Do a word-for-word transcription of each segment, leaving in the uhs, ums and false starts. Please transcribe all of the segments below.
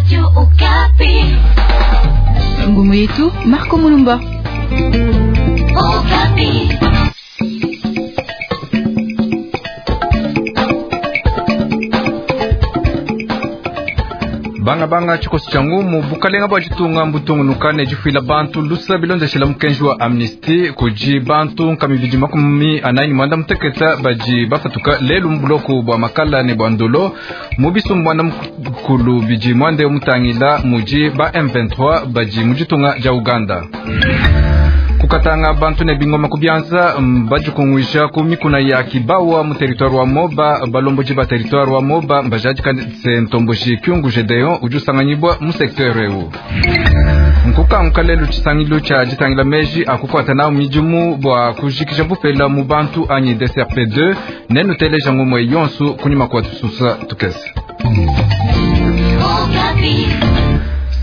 Radio Okapi. Ngumu yetu Marco Mulumba. Okapi. Banga banga tshikoso tshia ngumu bukalenga bua ditunga mbutungunuka ne difuila bantu lusa bilondeshela mukenji wa amnistie kudi bantu nkama ibidi makumi anayi ne muanda muteketa badi bapatuka lelu mu buloku bua makala ne bua ndolo mu bisumbu muanda mukulu bidi muande mutangila mudi ba M vingt-trois badi mu ditunga dia Uganda. Kukatanga bantu ne bingoma kubyanza bajikunguisha ku mikuna ya Kibawa mu territoire wa Moba balomboji ba territoire wa Moba mbajadika se ntomboji Kyungu Gedeon udi usanganyibwa mu secteur eu. Nkukanguka lelu tshisangilu tshia ditangila meji akukwata nawu midimu bua kujikija bupela mu bantu anyi D C R P deux nenuteleja ngumwe yonso kunyima kwa tususa tukese.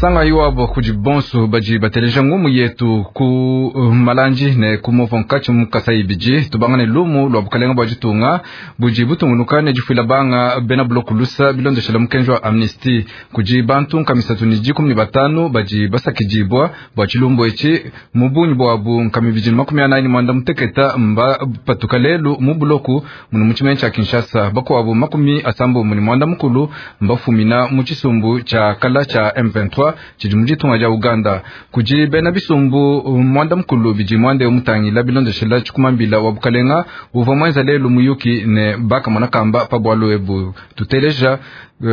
Sanga iwabo kudi bonso badi bateleja ngumu yetu ku uh, malanji ne ku mova nkatshi mu Kasai ibidi tubangane lumu lwa bukalenga bua ditunga budi butungunuka ne difuila banga bena buloku lusa bilondeshela mukenji wa amnistie kudi bantu nkamisatu ne dikumi ne batanu badi basakidibwa bua tshilumbu etshi mu bungi buabu nkama ibidi ne makumi anayi ne muanda muteketa mba patuka lelu mu buloku munu mu tshimenga tshia Kinshasa bakuabu makumi asambombo ne muanda mukulu mbafumina mu tshisumbu tshia kala tshia M vingt-trois tshidi mu ditunga dia Uganda kudi bena bisumbu muanda mukulu bidi muande mutangila bilondeshela tshikumambila wa bukalenga uvua muenza lelu muyuki ne bakamona kamba pa bualu ebu tuteleja uh,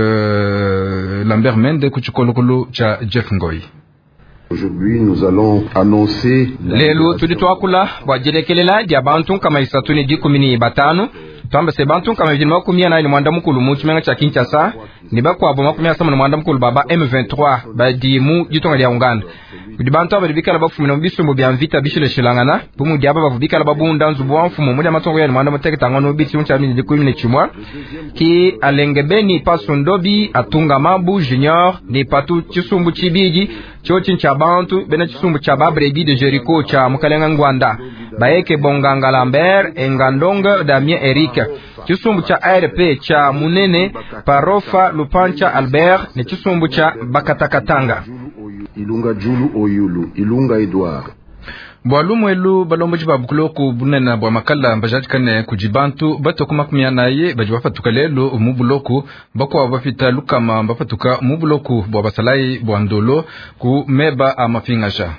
Lambert Mende ku tshikolokolo tshia Jeff Ngoi. Aujourd'hui, nous allons annoncer lelu tudi tuakula bua dilekelela dia bantu nkama isatu ne dikumi ne batanu twamba se bantu nkama ibidi makumi anayi ne muanda mukulu mu tshimenga tshia Kinshasa ne bakuabu makumi asambombo ne muanda mukulu baba M vingt-trois badi mu ditunga dia Uganda. Kudi bantu aba badi bikala bafumina mu bisumbu bia mvita bishilashilangana bu mudi aba bavua bikala babunda nzubu wa mfumu mudi matongo ya ne muanda mutekete ngono biti mu tshia dikumi ne tshimua ki Alengebeni Pasundobi Atunga Mabu Junior ne Patu tshisumbu tshibidi tshiotshi tshia bantu bena tshisumbu tshia Babrebi de Jericho tshia Mukalenga Ngwanda Baeke Bonganga Lambert Engandonga Damien Eric tshisumbu tshia A R P tshia Munene Parofa Lupancha Albert ne tshisumbu tshia Bakatakatanga Ilunga Julu Oyulu Ilunga Edouard Bua lumwelu balomboji ba buloku bunene bua makala mbajadikane kudi bantu batoku makumi anayi badi bapatuka lelu mu buloku bakuabu bapita lukama bapatuka mu buloku bua basalayi bua ndolo ku meba a mapingaja.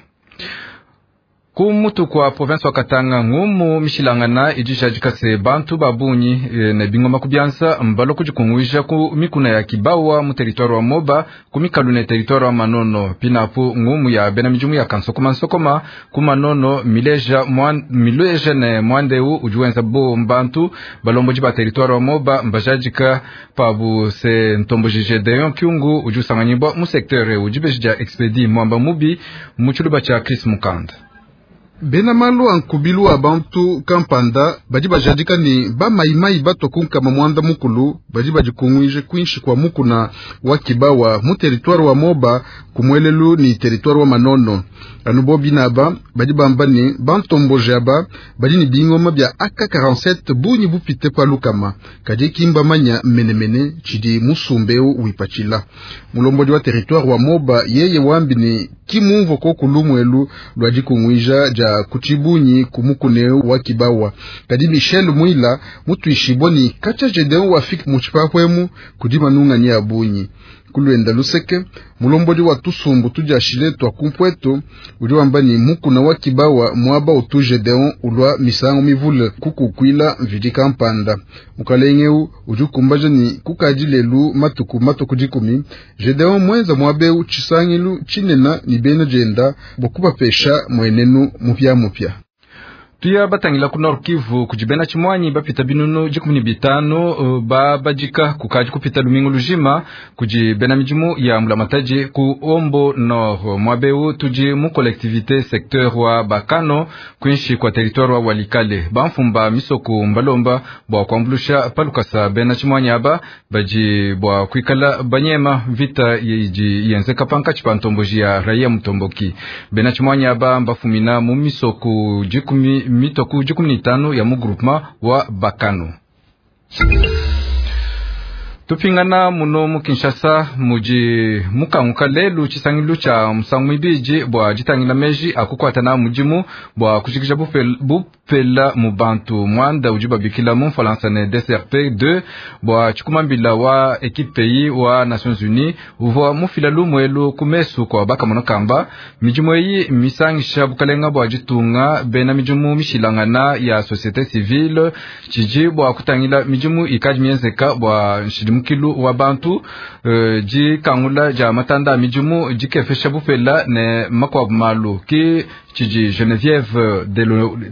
Ku mutu kwa province wa Katanga ngumu mishilangana idi jadika se bantu babunyi e, ne bingoma kubyanza mbalo kujikunguisha ku mikuna ya Kibawa mu territoire wa Moba ku mikalu ne territoire wa Manono pinapu ngumu ya bena mijumu ya kansokoma nsokoma ku Manono mileja mwan, mileja ne mwandeu ujuwenza bo mbantu balomboji ba territoire wa Moba mbajadika pabu se ntomboji Gedeon Kyungu ujusanganyibwa mu secteur ujibeji ja expedi mwamba mubi mu tshiluba tshia Chris Mukanda. Bena malu ankubilu wa bantu kampanda badi bajadika ni ba maimai bato kunkama muanda mukulu badi badikunguije kwinshi kwa mukuna wa Kibawa mu territoire wa Moba kumwelelu ni territoire wa Manono anu bo binaba badi bamba ni bantomboje aba badi ni bingoma bya A K quarante-sept bunyi bupite pa lukama kadi kimba manya menemene chidi musumbeu wipachila mulombodi wa territoire wa Moba yeye wambi ni kimumvo ko kulumwelu lwa dikunguija ja kuchibunyi kumukuneu wa Kibawa kadi Michel Mwila mutuishibwa ni kacha Gedeon wa fik muchipapwemu kudi manunga ni abunyi kulwenda luseke mulombodi wa tusumbu tujashile twa kumpweto udi wamba ni mukuna wa Kibawa mwaba utu Gedeon ulwa misango mivule kukukwila mvidi kampanda mukalengeu udi kumbaja ni kukadi lelu matuku matuku dikumi Gedeon mwenza mwabeu chisangilu chinena ni bena jenda bokubapesha mwenenu mupya mupya. Tuya batangila ku Nord Kivu kujibena chimwanyi bapita binunu dikumi ne bitanu uh, babadika kukaji kupita lumingu lujima kujibena midimu ya mulamataji ku Ombo Nord mwabeu tuji mu collectivité secteur wa Bakano kwinshi kwa territoire wa Walikale bamfumba misoko mbalomba bwa kuambulusha palukasa bena chimwanyi aba baji bwa kuikala banyema vita yiji yenzeka panka chipantomboji ya raia mutomboki bena chimwanyi aba mbafumina mu misoko dikumi mitoku dikumi ni tano ya mu groupement wa Bakano. Tupingana muno mu Kinshasa mudi mukanguka lelu tshisangilu tshia musangu mibidi bua ditangila meji akukwata na mudimu bua kujikija bupela mu bantu mwanda udi babikila mu Mfalansa ne D S R P deux bua tshikumambila wa equipe pays wa Nations Unies uvua mufila lumuelu ku mesu kwa bakamono kamba midimu eyi misangisha bukalenga bua ditunga bena midimu mishilangana ya société civile tshidi bua kutangila midimu ikadi mienzeka bua nshidimukilu wa bantu uh, dikangula dia matanda midimu dikefesha bupela ne makwabu malu ki tshidi Geneviève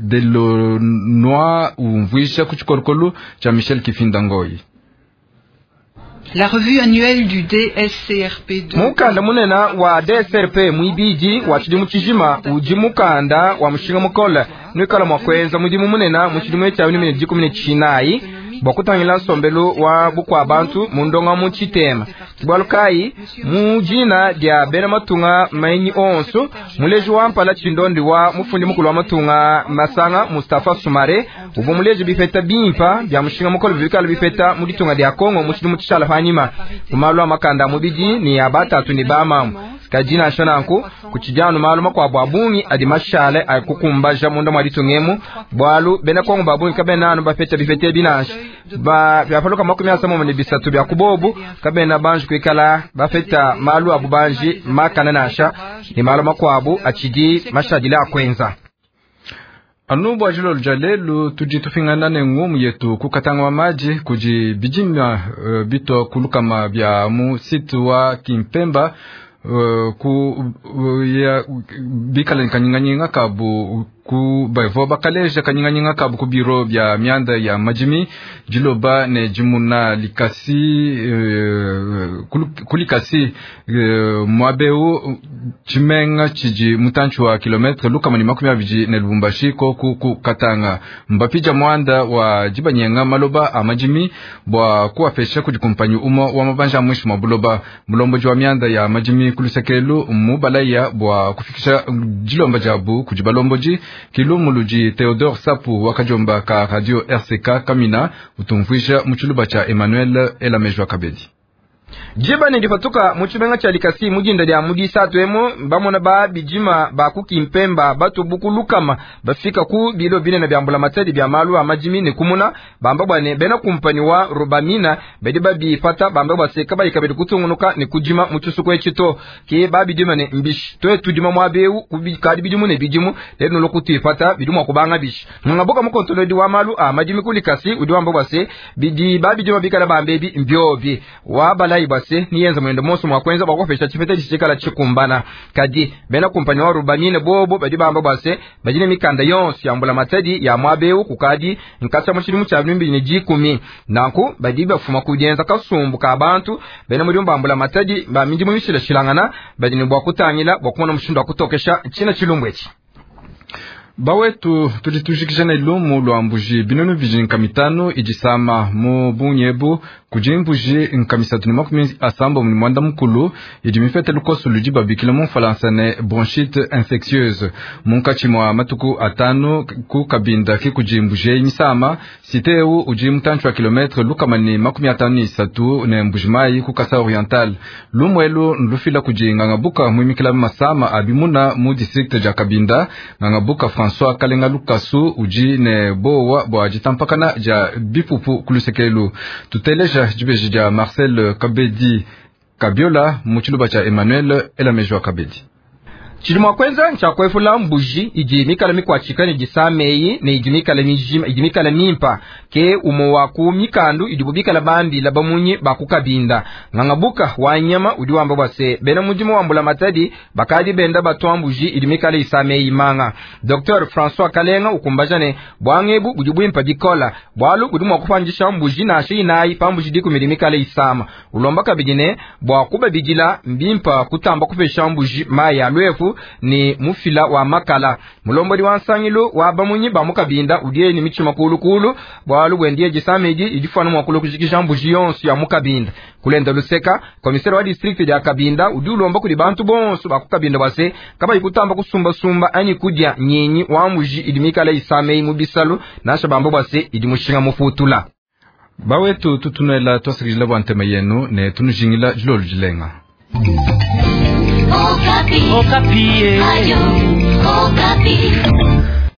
Delanois umvuisha ku tshikolokolo tshia Michel Kifinda Ngoi. La revue annuelle du D S C R P deux. Mukanda munena wa D S R P mwibiji wa tshidimu tshijima udi mukanda wa mushinga mukole nwikala mwa kuenza mudimu munena mu tshidimu tshia bibili ne dikumi ne tshinayi bua kutangila nsombelu wa bukua bantu mu ndonga mu tshitema bualu kayi mu dina dia bena matunga mainyi onso muleji wa mpala tshindondi wa mufundi mukulu wa matunga masanga Mustafa Sumare uvua muleji bipeta bimpa bya mushinga mukolo bikala bipeta mu ditunga dia Kongo mu tshidimu tshishala panyima mu malu a makanda mubidi ni ya batatu ni bamamu kajina nanku kuchijano malu makwabo abungi adi mashale akukumbaja munda mwa ditungemu bwalu bena Kongo babungi kabena anu bapeta bipete binashi ba byapaluka makumi asamo ne bisatu bya kubobu kabena banji kuikala bafeta malu abu banji makana nasha ni malu makwabo achidi mashadila akwenza anu bua jilolo dia lelu tudi tupingana ne ngumu yetu kukatanga wa maji kudi bidima uh, bito kulukama bya mu site wa Kimpemba Uh, ku uh, ya bikala kanyinganyinga kabu ku baivo bakaleja kanyinganyinga kabu ku biro bya mianda ya majimi jiloba ne jimuna likasi uh, kulikasi uh, mwabeu chimenga chiji mutanchu wa kilometre lukama ni makumi abiji ne Lubumbashi ko ku, ku Katanga mbapija mwanda wa jibanyenga maloba a majimi bwa kuwapesha kujikumpanyi umo wa mabanja mwisho mwa mulomboji wa mianda ya majimi kulusekelu mubalaya bwa kufikisha jilomba jabu kujibalomboji kilumuluji Theodore Sapu wakajomba ka radio R C K Kamina utumvuisha muchuluba cha Emmanuel Elamejwa Kabedi. Jiba nilipatuka muchibenga cha likasi mujinda lya mudisatu emo bamona ba bijima ba kukimpemba batu bukulukama bafika ku bilo bine na byambula matadi bya malu amajimi ne kumuna bamba bwane bena kumpani wa Rubamina bedi babi fata bamba baseka bayikabedi kutungunuka ne kujima muchusuko echito ke babi dima ne mbishi toye tudima mwabeu kubikadi bidimu ne bidimu lero lokuti fata bidimu akubanga bishi ngaboka mukontolodi wa malu amajimi kulikasi udi wamba base bidi babi dima bikala bambebi mbyobi wa balai base niyenza mwendo moso mwakwenza bakofesha chipete chichikala chikumbana kadi bena kumpani wa Rubamine bobo badi bamba base bajine mikanda yonse yambula matadi ya mwabeu kukadi nkasa muchilimu cha bimbi ne jikumi nanku badi bafuma kujenza kasumbu ka bantu bena muri mbambula matadi ba mindi mumishila shilangana badi ne bwa kutangila bwa kumona mushindo kutokesha china chilumbwechi bawetu tulitujikisha na ilumu lwa mbuji binunu biji nkamitano ijisama mu bunyebu kudi mbuji nkamisatu ne makumi asambo mu mwanda mukulu idi mifete lukoso ludi babikila mu Mfalansa ne bronchite infectieuse munkatshi mwa matuku atanu ku kabinda ki kudi mbuji eyi misama site ewu udi mutantshi wa kilometre lukama ne makumi atanu ne isatu ne mbuji mayi ku Kasai Oriental lumwelu nlufila kudi ngangabuka muimikila masama abimuna mu district dia Kabinda ngangabuka François Kalenga Lukasu uji ne bowa bwa jitampakana ja bipupu kulusekelu tuteleja jibeji ja Marcel Kabedi Kabiola muchiluba cha Emmanuel Elamejwa Kabedi. Chilimo kwenza ncha kwefula mbuji iji mikala mikwachika ni jisameyi ne iji mikala mijima iji mikala mimpa ke umo waku mikandu iji bubikala bambi labamunyi bakukabinda ngangabuka wanyama udi wamba bwase bena mujimu wambula matadi bakadi benda batwa mbuji iji mikala isameyi manga Docteur François Kalenga ukumbaja ne bwangebu budi bwimpa bikola bwalu budi mwakupanjisha mbuji na shi inayi pambuji diku mili mikala isama ulomba kabidine bwa kubabidila mbimpa kutamba kupesha mbuji maya lwefu ni mufila wa makala mulombodi wa nsangilo wa bamunyi ba mukabinda udiye ni michima kulukulu bwalu bwendiye jisamedi idifana mwakulu kujikisha mbuji yonso ya mukabinda kulenda luseka komisere wa district ya Kabinda udi ulomba kuli bantu bonso bakukabinda base kaba ikutamba kusumba sumba ani kudya nyinyi wa mbuji idimikala isamei mubisalu nasha bambo base idimushinga mufutula. Bawetu tutunuela twasakidila bua ntema yenu ne tunujingila dilolo dilenga. Okapi. Okapi. Ayo.